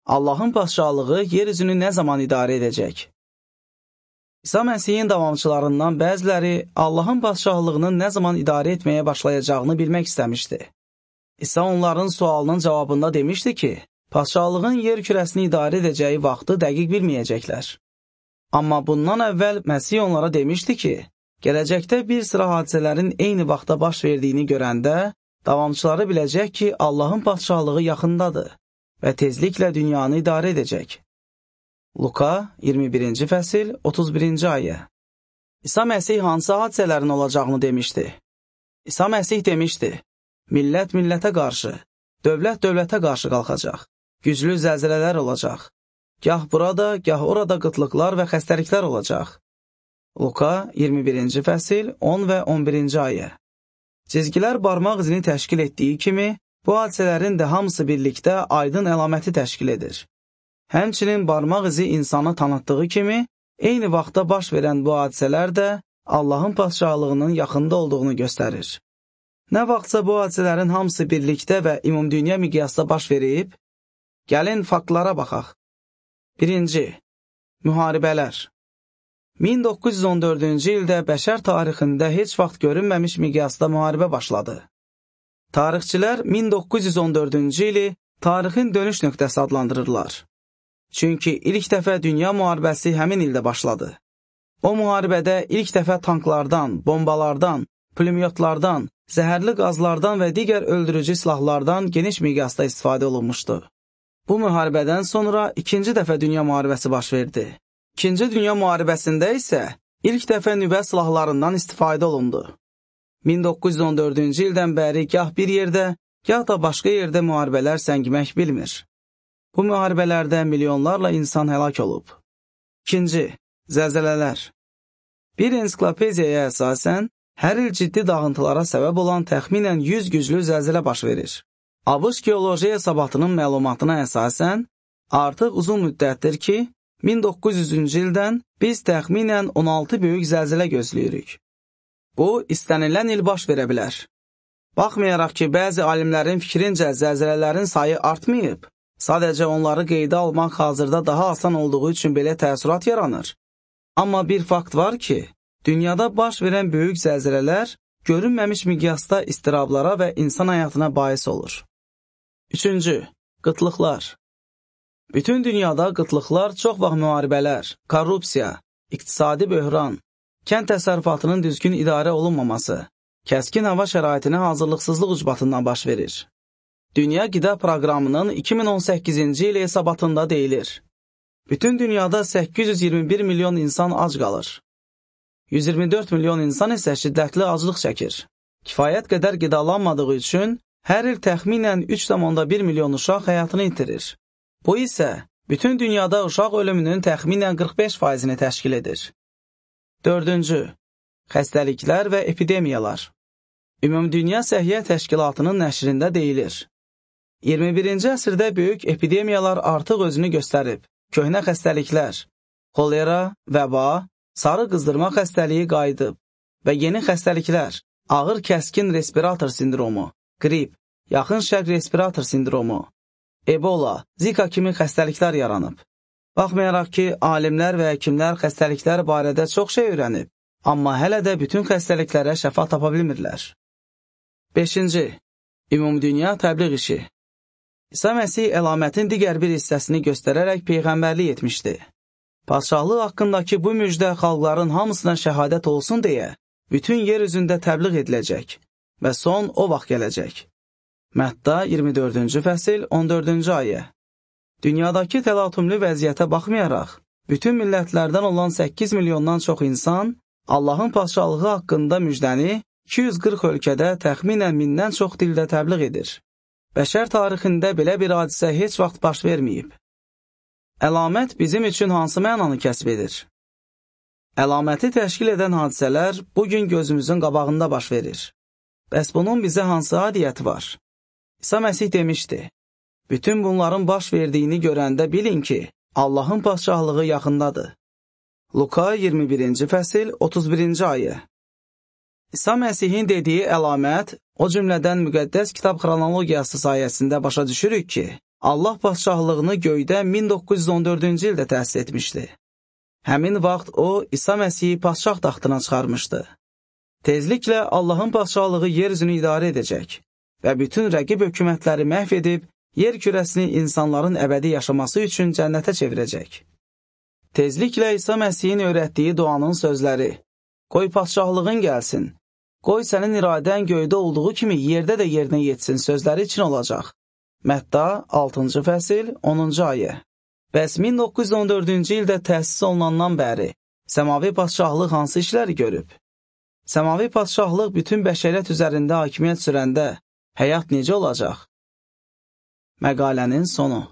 Allahın padşahlığı yer üzünü nə zaman idarə edəcək? İsa Məsihin davamçılarından bəziləri Allahın padşahlığının nə zaman idarə etməyə başlayacağını bilmək istəmişdi. İsa onların sualının cavabında demişdi ki, padşahlığın yer kürəsini idarə edəcəyi vaxtı dəqiq bilməyəcəklər. Amma bundan əvvəl Məsih onlara demişdi ki, gələcəkdə bir sıra hadisələrin eyni vaxtda baş verdiyini görəndə, davamçıları biləcək ki, Allahın padşahlığı yaxındadır və tezliklə dünyanı idarə edəcək. Luka 21-ci fəsil 31-ci ayə. İsa Məsih hansı hadisələrin olacağını demişdi? İsa Məsih demişdi, millət millətə qarşı, dövlət dövlətə qarşı qalxacaq, güclü zəlzələlər olacaq, gah burada, gah orada qıtlıqlar və xəstəliklər olacaq. Luka 21-ci fəsil 10 və 11-ci ayə. Cizgilər barmaq izini təşkil etdiyi kimi, bu hadisələrin də hamısı birlikdə aydın əlaməti təşkil edir. Həmçinin barmaq izi insanı tanıtdığı kimi, eyni vaxtda baş verən bu hadisələr də Allahın padşahlığının yaxında olduğunu göstərir. Nə vaxtsa bu hadisələrin hamısı birlikdə və ümumdünya miqyasda baş verib, gəlin faktlara baxaq. 1. Müharibələr. 1914-cü ildə bəşər tarixində heç vaxt görünməmiş miqyasda müharibə başladı. Tarixçilər 1914-cü ili tarixin dönüş nöqtəsi adlandırırlar. Çünki ilk dəfə dünya müharibəsi həmin ildə başladı. O müharibədə ilk dəfə tanklardan, bombalardan, pulemyotlardan, zəhərli qazlardan və digər öldürücü silahlardan geniş miqyasda istifadə olunmuşdu. Bu müharibədən sonra ikinci dəfə dünya müharibəsi baş verdi. İkinci dünya müharibəsində isə ilk dəfə nüvə silahlarından istifadə olundu. 1914-cü ildən bəri gah bir yerdə, gah da başqa yerdə müharibələr səngimək bilmir. Bu müharibələrdə milyonlarla insan həlak olub. 2. Zəlzələlər. Bir ensiklopediyaya əsasən, hər il ciddi dağıntılara səbəb olan təxminən 100 güclü zəlzələ baş verir. ABŞ Geoloji Hesabatının məlumatına əsasən, artıq uzun müddətdir ki, 1900-cü ildən biz təxminən 16 böyük zəlzələ gözləyirik. Bu, istənilən il baş verə bilər. Baxmayaraq ki, bəzi alimlərin fikrincə zəlzələlərin sayı artmayıb, sadəcə onları qeydə almaq hazırda daha asan olduğu üçün belə təəssürat yaranır. Amma bir fakt var ki, dünyada baş verən böyük zəlzələlər görünməmiş miqyasda istirablara və insan həyatına bais olur. 3. Qıtlıqlar. Bütün dünyada qıtlıqlar çox vaxt müharibələr, korrupsiya, iqtisadi böhran, kənd təsərrüfatının düzgün idarə olunmaması, kəskin hava şəraitinə hazırlıqsızlıq ucbatından baş verir. Dünya Qida Proqramının 2018-ci il hesabatında deyilir. Bütün dünyada 821 milyon insan ac qalır. 124 milyon insan isə şiddətli aclıq çəkir. Kifayət qədər qidalanmadığı üçün hər il təxminən 3,1 milyon uşaq həyatını itirir. Bu isə bütün dünyada uşaq ölümünün təxminən 45%-ni təşkil edir. 4. Xəstəliklər və epidemiyalar. Ümumdünya Səhiyyə Təşkilatının nəşrində deyilir. 21-ci əsrdə böyük epidemiyalar artıq özünü göstərib. Köhnə xəstəliklər, xolera, vəba, sarı qızdırma xəstəliyi qayıdıb və yeni xəstəliklər, ağır kəskin respirator sindromu, qrip, yaxın şərq respirator sindromu, Ebola, Zika kimi xəstəliklər yaranıb. Baxmayaraq ki, alimlər və həkimlər xəstəliklər barədə çox şey öyrənib, amma hələ də bütün xəstəliklərə şəfa tapa bilmirlər. 5. Ümumdünya təbliğ işi. İsa Məsih əlamətin digər bir hissəsini göstərərək peyğəmbərlik etmişdi. Padşahlıq haqqındakı bu müjdə xalqların hamısına şəhadət olsun deyə, bütün yer üzündə təbliğ ediləcək və son o vaxt gələcək. Mətta 24-cü fəsil 14-cü ayə. Dünyadakı təlatümlü vəziyyətə baxmayaraq, bütün millətlərdən olan 8 milyondan çox insan Allahın padşahlığı haqqında müjdəni 240 ölkədə təxminən 1000-dən çox dildə təbliğ edir. Bəşər tarixində belə bir hadisə heç vaxt baş verməyib. Əlamət bizim üçün hansı mənanı kəsb edir? Əlaməti təşkil edən hadisələr bugün gözümüzün qabağında baş verir. Bəs bunun bizə hansı adiyyəti var? İsa Məsih demişdi, bütün bunların baş verdiyini görəndə bilin ki, Allahın padşahlığı yaxındadır. Luka 21-ci fəsil 31-ci ayə. İsa Məsihin dediyi əlamət, o cümlədən müqəddəs kitab xronologiyası sayəsində başa düşürük ki, Allah padşahlığını göydə 1914-cü ildə təsis etmişdi. Həmin vaxt o, İsa Məsihi padşah taxtına çıxarmışdı. Tezliklə Allahın padşahlığı yer üzünü idarə edəcək və bütün rəqib hökumətləri məhv edib, yer kürəsini insanların əbədi yaşaması üçün cənnətə çevirəcək. Tezliklə İsa Məsihin öyrətdiyi duanın sözləri, qoy padşahlığın gəlsin, qoy sənin iradən göydə olduğu kimi yerdə də yerinə yetsin sözləri üçün olacaq. Mətta 6-cı fəsil 10-cu ayə. Bəs 1914-cü ildə təsis olunandan bəri səmavi padşahlıq hansı işləri görüb? Səmavi padşahlıq bütün bəşəriyyət üzərində hakimiyyət sürəndə həyat necə olacaq? Məqalənin sonu.